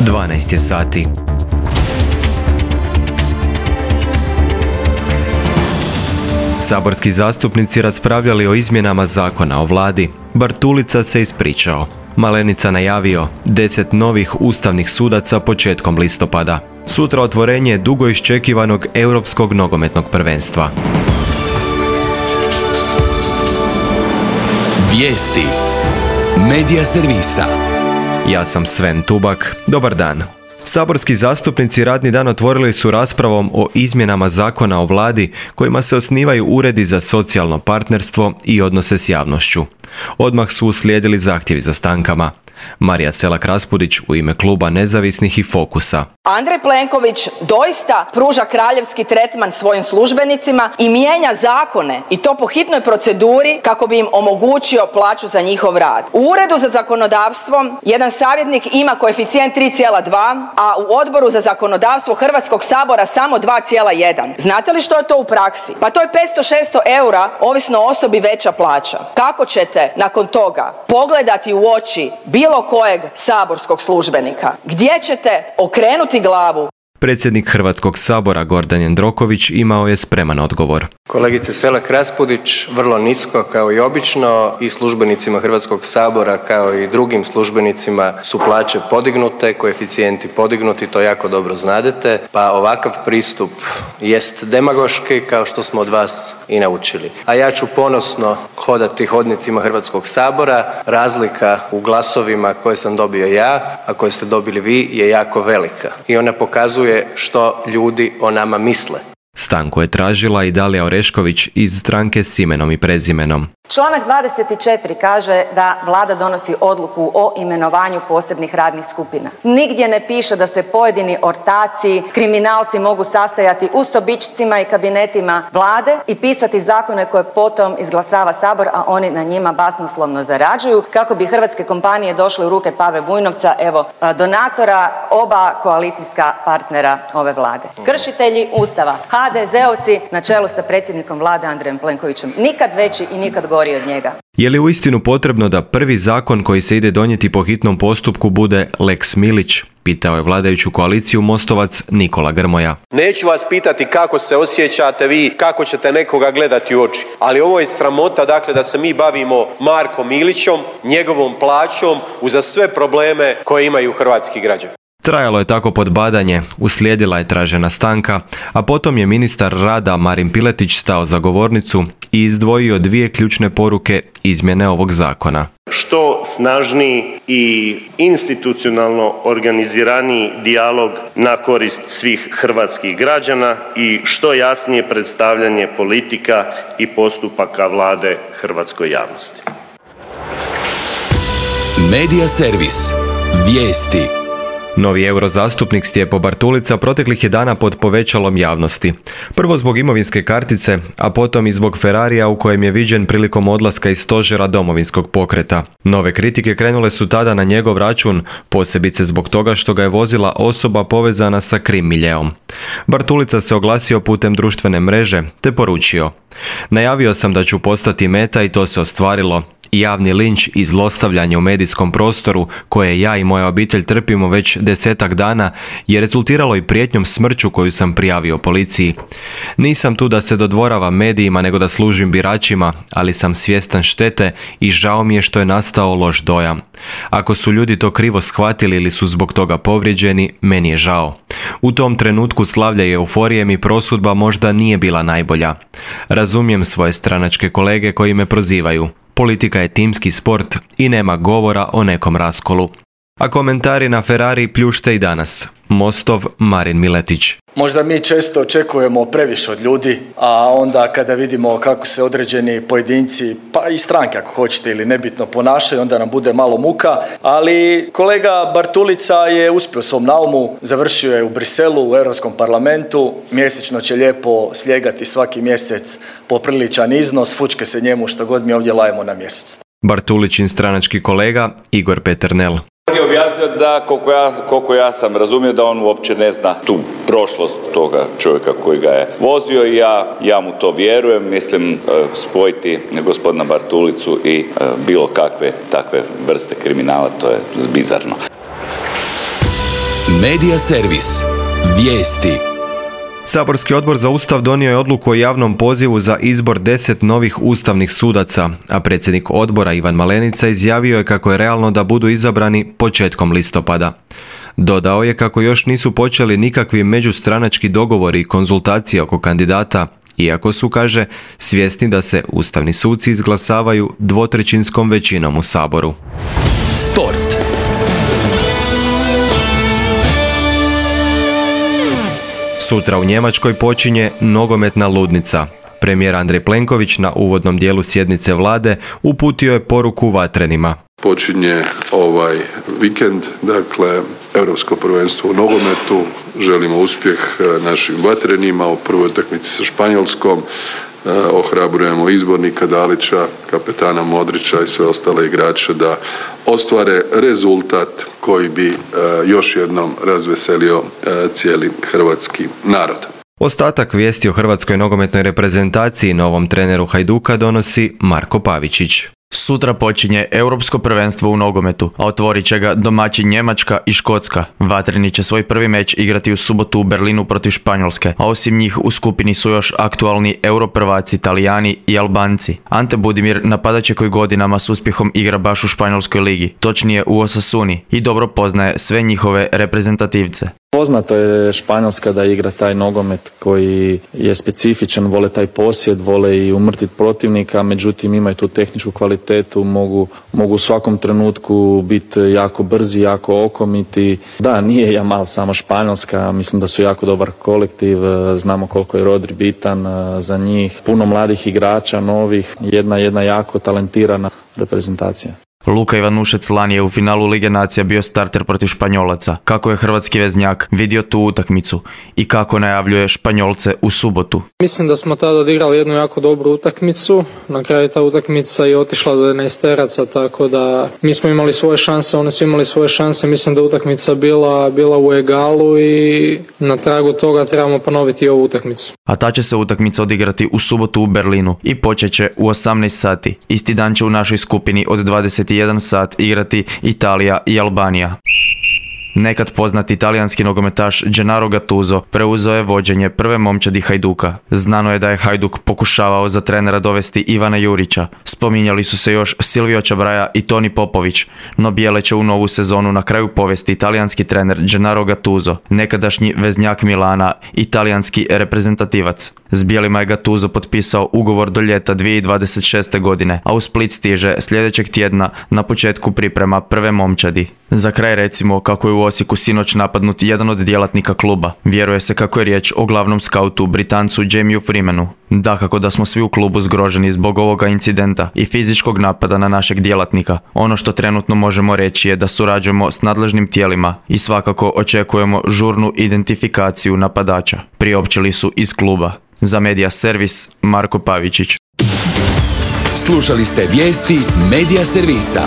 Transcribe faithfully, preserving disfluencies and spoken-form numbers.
dvanaest je sati. Saborski zastupnici raspravljali o izmjenama zakona o vladi. Bartulica se ispričao. Malenica najavio deset novih ustavnih sudaca početkom listopada. Sutra otvorenje dugo iščekivanog europskog nogometnog prvenstva. Vijesti Medija servisa. Ja sam Sven Tubak. Dobar dan. Saborski zastupnici radni dan otvorili su raspravom o izmjenama zakona o vladi kojima se osnivaju uredi za socijalno partnerstvo i odnose s javnošću. Odmah su uslijedili zahtjevi za stankama. Marija Selak-Raspudić u ime kluba Nezavisnih i Fokusa. Andrej Plenković doista pruža kraljevski tretman svojim službenicima i mijenja zakone i to po hitnoj proceduri kako bi im omogućio plaću za njihov rad. U Uredu za zakonodavstvo jedan savjetnik ima koeficijent tri zarez dva, a u Odboru za zakonodavstvo Hrvatskog sabora samo dva zarez jedan. Znate li što je to u praksi? Pa to je petsto do šesto eura, ovisno o osobi, veća plaća. Kako ćete nakon toga pogledati u oči bilo kojeg saborskog službenika? Gdje ćete okrenuti glavu? Predsjednik Hrvatskog sabora Gordan Jandroković imao je spreman odgovor. Kolegice Selak-Raspudić, vrlo nisko kao i obično, i službenicima Hrvatskog sabora kao i drugim službenicima su plaće podignute, koeficijenti podignuti, to jako dobro znadete, pa ovakav pristup jest demagoški kao što smo od vas i naučili. A ja ću ponosno hodati hodnicima Hrvatskog sabora, razlika u glasovima koje sam dobio ja, a koje ste dobili vi, je jako velika i ona pokazuje što ljudi o nama misle. Stanku je tražila i Dalija Orešković iz stranke S imenom i prezimenom. Članak dvadeset četiri kaže da vlada donosi odluku o imenovanju posebnih radnih skupina. Nigdje ne piše da se pojedini ortaci, kriminalci mogu sastajati u sobičcima i kabinetima vlade i pisati zakone koje potom izglasava Sabor, a oni na njima basnoslovno zarađuju kako bi hrvatske kompanije došle u ruke Pave Vujnovca, evo, donatora oba koalicijska partnera ove vlade. Kršitelji Ustava, ha de zeovci na čelu sa predsjednikom vlade Andrejem Plenkovićem. Nikad veći i nikad gori od njega. Je li uistinu potrebno da prvi zakon koji se ide donijeti po hitnom postupku bude Lex Milić? Pitao je vladajuću koaliciju Mostovac Nikola Grmoja. Neću vas pitati kako se osjećate vi, kako ćete nekoga gledati u oči, ali ovo je sramota, dakle, da se mi bavimo Markom Milićom, njegovom plaćom, uza sve probleme koje imaju hrvatski građani. Trajalo je tako podbadanje, uslijedila je tražena stanka, a potom je ministar rada Marin Piletić stao za govornicu i izdvojio dvije ključne poruke izmjene ovog zakona. Što snažniji i institucionalno organiziraniji dijalog na korist svih hrvatskih građana i što jasnije predstavljanje politika i postupaka vlade hrvatskoj javnosti. Medija servis. Vijesti. Novi eurozastupnik Stjepo Bartulica proteklih je dana pod povećalom javnosti. Prvo zbog imovinske kartice, a potom i zbog Ferrarija u kojem je viđen prilikom odlaska iz stožera Domovinskog pokreta. Nove kritike krenule su tada na njegov račun, posebice zbog toga što ga je vozila osoba povezana sa krim miljeom. Bartulica se oglasio putem društvene mreže te poručio: "Najavio sam da ću postati meta i to se ostvarilo. Javni linč i zlostavljanje u medijskom prostoru koje ja i moja obitelj trpimo već desetak dana je rezultiralo i prijetnjom smrću koju sam prijavio policiji. Nisam tu da se dodvoravam medijima nego da služim biračima, ali sam svjestan štete i žao mi je što je nastao loš dojam. Ako su ljudi to krivo shvatili ili su zbog toga povrijeđeni, meni je žao. U tom trenutku slavlja i euforije mi prosudba možda nije bila najbolja. Razumijem svoje stranačke kolege koji me prozivaju. Politika je timski sport i nema govora o nekom raskolu." A komentari na Ferrari pljušte i danas. Mostov Marin Miletić. Možda mi često očekujemo previše od ljudi, a onda kada vidimo kako se određeni pojedinci, pa i stranke ako hoćete ili nebitno ponašaju, onda nam bude malo muka, ali kolega Bartulica je uspio u svom naumu, završio je u Briselu, u Europskom parlamentu, mjesečno će lijepo slijegati svaki mjesec popriličan iznos, fučke se njemu što god mi ovdje lajemo na mjesec. Bartulićin stranački kolega Igor Peternel. On je objasnio da, koliko ja, koliko ja sam razumio, da on uopće ne zna tu prošlost toga čovjeka koji ga je vozio i ja, ja mu to vjerujem. Mislim, spojiti gospodina Bartulicu i bilo kakve takve vrste kriminala, to je bizarno. Medija servis. Vijesti. Saborski odbor za Ustav donio je odluku o javnom pozivu za izbor deset novih ustavnih sudaca, a predsjednik odbora Ivan Malenica izjavio je kako je realno da budu izabrani početkom listopada. Dodao je kako još nisu počeli nikakvi međustranački dogovori i konzultacije oko kandidata, iako su, kaže, svjesni da se ustavni suci izglasavaju dvotrećinskom većinom u Saboru. Sport. Sutra u Njemačkoj počinje nogometna ludnica. Premijer Andrej Plenković na uvodnom dijelu sjednice vlade uputio je poruku vatrenima. Počinje ovaj vikend, dakle, Europsko prvenstvo u nogometu. Želimo uspjeh našim vatrenima u prvoj utakmici sa Španjolskom. Ohrabrujemo izbornika Dalića, kapetana Modrića i sve ostale igrače da ostvare rezultat koji bi još jednom razveselio cijeli hrvatski narod. Ostatak vijesti o hrvatskoj nogometnoj reprezentaciji i novom treneru Hajduka donosi Marko Pavičić. Sutra počinje Europsko prvenstvo u nogometu, a otvorit će ga domaći Njemačka i Škotska. Vatreni će svoj prvi meč igrati u subotu u Berlinu protiv Španjolske, a osim njih u skupini su još aktualni europrvaci Talijani i Albanci. Ante Budimir napadat će koji godinama s uspjehom igra baš u Španjolskoj ligi, točnije u Osasuni, i dobro poznaje sve njihove reprezentativce. Poznato je Španjolska da igra taj nogomet koji je specifičan, vole taj posjed, vole i umrtiti protivnika, međutim imaju tu tehničku kvalitetu, mogu, mogu u svakom trenutku biti jako brzi, jako okomiti. Da, nije Jamal samo Španjolska, mislim da su jako dobar kolektiv, znamo koliko je Rodri bitan za njih, puno mladih igrača, novih, jedna, jedna jako talentirana reprezentacija. Luka Ivanušec lani je u finalu Lige nacija bio starter protiv Španjolaca. Kako je hrvatski veznjak vidio tu utakmicu i kako najavljuje Španjolce u subotu? Mislim da smo tada odigrali jednu jako dobru utakmicu. Na kraju ta utakmica je otišla do jedanaesteraca, tako da mi smo imali svoje šanse, oni su imali svoje šanse. Mislim da je utakmica bila, bila u egalu i na tragu toga trebamo ponoviti ovu utakmicu. A ta će se utakmica odigrati u subotu u Berlinu i počet će u osamnaest sati. Isti dan će u našoj skupini od dvadeset jedan sat igrati Italija i Albanija. Nekad poznati italijanski nogometaš Gennaro Gattuso preuzeo je vođenje prve momčadi Hajduka. Znano je da je Hajduk pokušavao za trenera dovesti Ivana Jurića. Spominjali su se još Silvio Čabraja i Toni Popović, no bijele će u novu sezonu na kraju povesti italijanski trener Gennaro Gattuso, nekadašnji veznjak Milana, italijanski reprezentativac. S bijelima je Gattuso potpisao ugovor do ljeta dvije tisuće dvadeset šeste. godine, a u Split stiže sljedećeg tjedna na početku priprema prve momčadi. Za kraj recimo kako je u Osijeku sinoć napadnut jedan od djelatnika kluba. Vjeruje se kako je riječ o glavnom skautu, Britancu Jamieu Freemanu. Dakako da smo svi u klubu zgroženi zbog ovoga incidenta i fizičkog napada na našeg djelatnika. Ono što trenutno možemo reći je da surađujemo s nadležnim tijelima i svakako očekujemo žurnu identifikaciju napadača, priopćili su iz kluba. Za Medija servis, Marko Pavičić. Slušali ste vijesti Medija servisa.